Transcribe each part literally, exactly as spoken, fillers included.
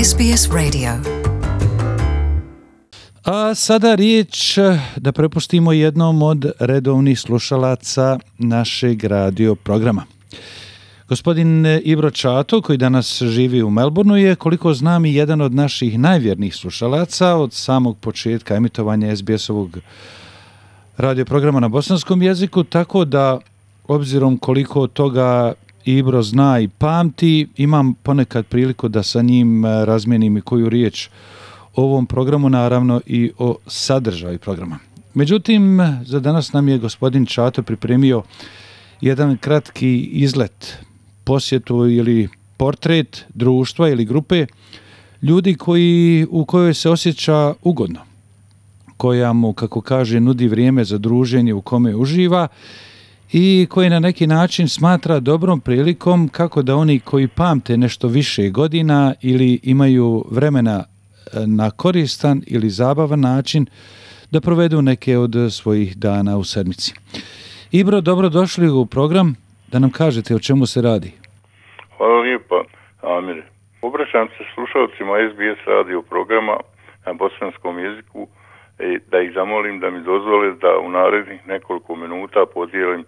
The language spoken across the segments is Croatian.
S B S Radio. A sada riječ da prepustimo jednom od redovnih slušalaca našeg radio programa. Gospodin Ibro Čato, koji danas živi u Melbourneu, je, koliko znam, i jedan od naših najvjernijih slušalaca od samog početka emitovanja S B S-ovog radio programa na bosanskom jeziku, tako da, obzirom koliko toga Ibro zna i pamti, imam ponekad priliku da sa njim razmijenim i koju riječ o ovom programu, naravno i o sadržaju programa. Međutim, za danas nam je gospodin Čato pripremio jedan kratki izlet, posjetu ili portret društva ili grupe ljudi koji, u kojoj se osjeća ugodno, koja mu, kako kaže, nudi vrijeme za druženje u kome uživa i koji na neki način smatra dobrom prilikom kako da oni koji pamte nešto više godina ili imaju vremena na koristan ili zabavan način da provedu neke od svojih dana u sedmici. Ibro, dobro došli u program, da nam kažete o čemu se radi. Hvala lijepa, Amir. Obraćam se slušalcima S B S radio programa na bosanskom jeziku da ih zamolim da mi dozvole da u narednih nekoliko minuta podijelim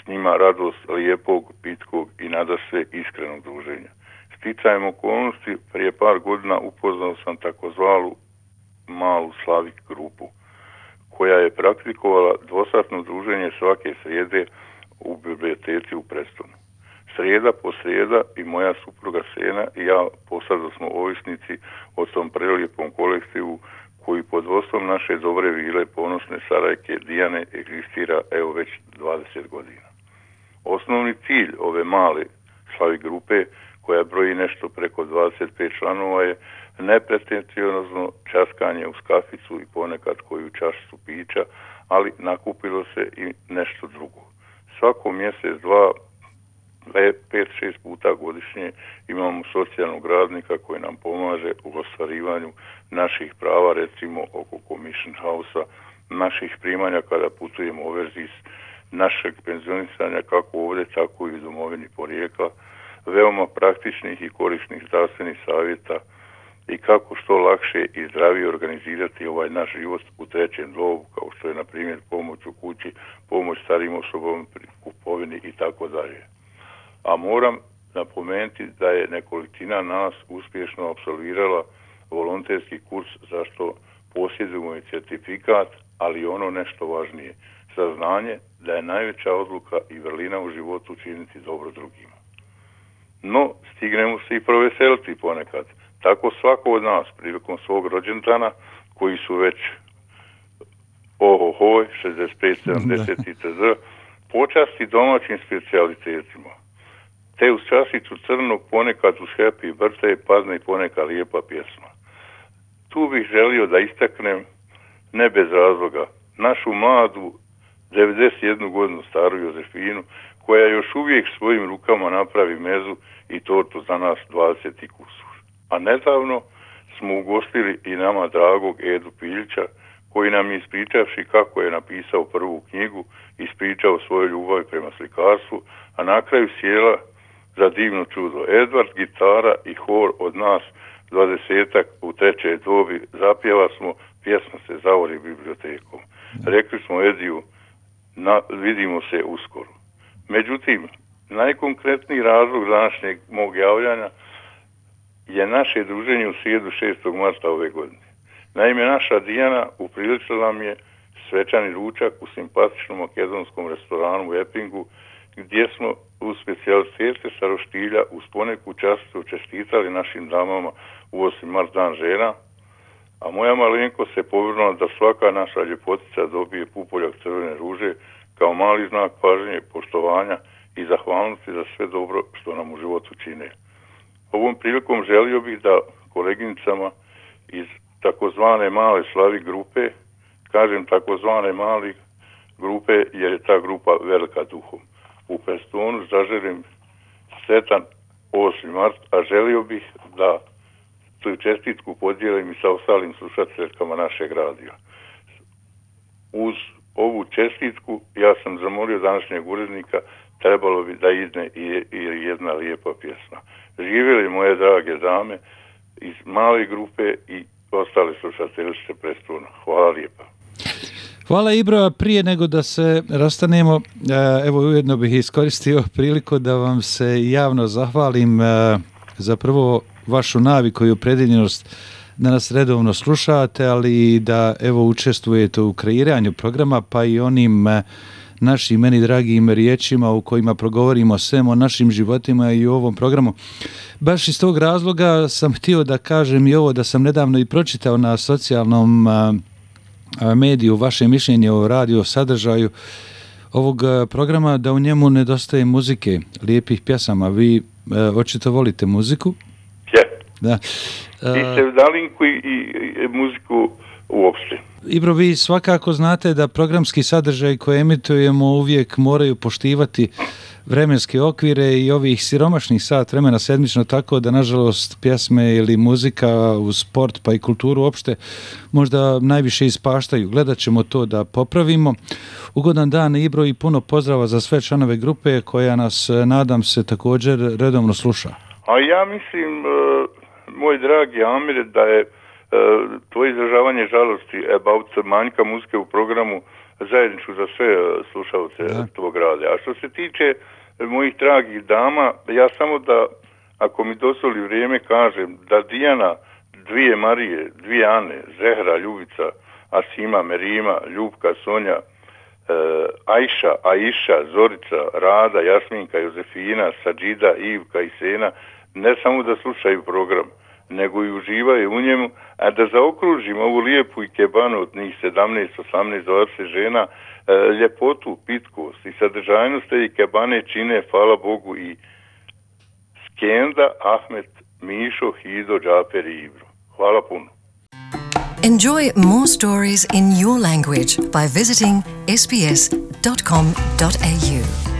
s njima radost lijepog, pitkog i nadasve iskrenog druženja. Sticajem okolnosti, prije par godina upoznao sam takozvanu malu Slavik grupu, koja je praktikovala dvosatno druženje svake srijede u biblioteci u Prestonu. Srijeda po srijeda i moja supruga Sena i ja posada smo ovisnici o tom prelijepom kolektivu koji pod vodstvom naše dobre vile, ponosne Sarajke Dijane egzistira evo već dvadeset godina. Osnovni cilj ove male Slavik grupe, koja broji nešto preko dvadeset pet članova, je nepretenciozno časkanje uz kaficu i ponekad koju čašicu pića, ali nakupilo se i nešto drugo. Svako mjesec, dva, pet, šest puta godišnje imamo socijalnog radnika koji nam pomaže u ostvarivanju naših prava, recimo oko Commission House-a, naših primanja kada putujemo overzis, našeg penzionisanja kako ovdje, tako i u domovini porijekla, veoma praktičnih i korisnih zdravstvenih savjeta i kako što lakše i zdravije organizirati ovaj naš život u trećem dobu, kao što je na primjer pomoć u kući, pomoć starijim osobama pri kupovini i tako dalje. A moram napomenuti da je nekolicina nas uspješno apsolvirala volonterski kurs, za što posjedujemo i certifikat, ali ono nešto važnije, saznanje da je najveća odluka i vrlina u životu činiti dobro drugima. No, stignemo se i proveseliti ponekad. Tako svako od nas prilikom svog rođendana, koji su već ohohoj, šezdeset pet, sedamdeset itd., počasti domaćim specijalitetima. Te uz časicu crnog, ponekad uz happy birthday padne i poneka lijepa pjesma. Tu bih želio da istaknem, ne bez razloga, našu mladu devedeset jednu godinu staru Jozefinu, koja još uvijek svojim rukama napravi mezu i tortu za nas dvadeset i kusur. A nedavno smo ugostili i nama dragog Edu Piljića, koji nam je ispričavši kako je napisao prvu knjigu, ispričao svoju ljubav prema slikarstvu, a na kraju sjela za divno čudo. Edward, gitara i hor od nas dvadesetak u trećoj dobi zapjeva smo, pjesma se zavori bibliotekom. Rekli smo Ediju, na, vidimo se uskoro. Međutim, najkonkretniji razlog današnjeg mog javljanja je naše druženje u srijedu šestog marta ove godine. Naime, naša Dijana upriličila nam je svečani ručak u simpatičnom makedonskom restoranu u Eppingu, gdje smo u specijalitete sa roštilja uz poneku časticu čestitali našim damama u osmi mart dan žena, a moja malenko se povrnula da svaka naša ljepotica dobije pupoljak crvene ruže kao mali znak pažnje, poštovanja i zahvalnosti za sve dobro što nam u životu čine. Ovom prilikom želio bih da koleginicama iz takozvane male Slavik grupe, kažem takozvane mali grupe jer je ta grupa velika duhom, u Prestonu zaželim sretan osmi mart, a želio bih da tu čestitku podijelim i sa ostalim slušateljkama našeg radija. Uz ovu čestitku ja sam zamolio današnjeg urednika, trebalo bi da izne i, i jedna lijepa pjesma. Živjeli moje drage dame iz male grupe i ostale slušateljice Prestona. Hvala lijepa. Hvala Ibro, prije nego da se rastanemo, evo ujedno bih iskoristio priliku da vam se javno zahvalim za prvo vašu naviku i opredjeljenost da nas redovno slušate, ali i da evo učestvujete u kreiranju programa, pa i onim našim meni dragim riječima u kojima progovorimo svem o našim životima i u ovom programu. Baš iz tog razloga sam htio da kažem i ovo, da sam nedavno i pročitao na socijalnom mediju vaše mišljenje o radio sadržaju ovog programa, da u njemu nedostaje muzike, lijepih pjesama. Vi e, očito volite muziku? Ja. Da. I sevdalinku i, i, i muziku uopšte. Ibro, vi svakako znate da programski sadržaj koje emitujemo uvijek moraju poštivati vremenske okvire i ovih siromašnih sat vremena sedmično, tako da nažalost pjesme ili muzika uz sport pa i kulturu uopšte možda najviše ispaštaju. Gledat ćemo to da popravimo. Ugodan dan Ibro i puno pozdrava za sve članove grupe koja nas, nadam se, također redovno sluša. A ja mislim, moj dragi Amire, da je tvoje izražavanje žalosti about manjka muzike u programu zajedničko za sve slušalce da. Tvog rada. A što se tiče mojih dragih dama, ja samo da, ako mi dozvoli vrijeme, kažem da Dijana, dvije Marije, dvije Ane, Zehra, Ljubica, Asima, Merima, Ljubka, Sonja, Ajša, Aiša, Zorica, Rada, Jasminka, Jozefina, Sadžida, Ivka i Sena ne samo da slušaju program, nego i uživaju u njemu, a da zaokružim ovu lijepu ikebanu od njih sedamnaest, osamnaest, dvadeset žena, ljepotu, pitkost i sadržajnost te ikebane čine, hvala Bogu, i Skenda, Ahmet, Mišo, Hido, Džaper i Ibro. Hvala puno. Enjoy more stories in your language by visiting s b s dot com dot a u.